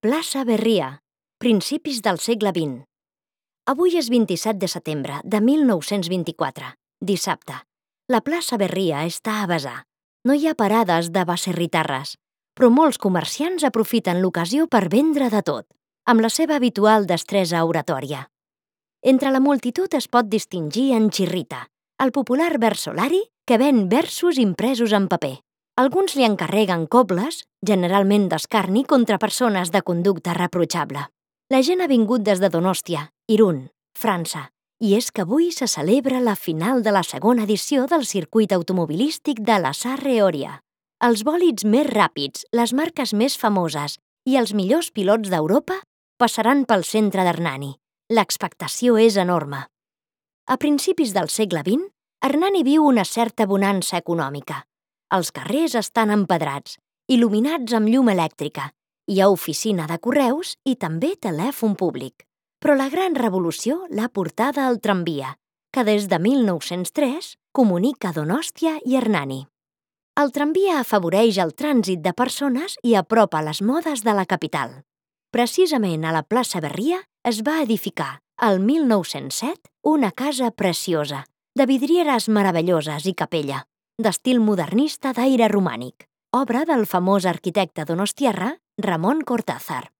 Plaça Berria, principis del segle XX. Avui és 27 de setembre de 1924, dissabte. La plaça Berria està a vessar. No hi ha parades de baserritarres, però molts comerciants aprofiten l'ocasió per vendre de tot, amb la seva habitual destresa oratòria. Entre la multitud es pot distingir en Chirrita, el popular versolari que ven versos impresos en paper. Alguns li encarreguen cobles, generalment d'escarni contra persones de conducta reprotxable. La gent ha vingut des de Donòstia, Irún, França, i és que avui se celebra la final de la segona edició del circuit automobilístic de la Sarre-Oria. Els bòlids més ràpids, les marques més famoses i els millors pilots d'Europa passaran pel centre d'Hernani. L'expectació és enorme. A principis del segle XX, Hernani viu una certa bonança econòmica. Els carrers estan empedrats, il·luminats amb llum elèctrica. Hi ha oficina de correus i també telèfon públic. Però la gran revolució l'ha portada al tramvia, que des de 1903 comunica Donòstia i Hernani. El tramvia afavoreix el trànsit de persones i apropa les modes de la capital. Precisament a la plaça Berria es va edificar, el 1907, una casa preciosa, de vidrieres meravelloses i capella, d'estil modernista d'aire romànic, obra del famós arquitecte donostiarra Ramon Cortázar.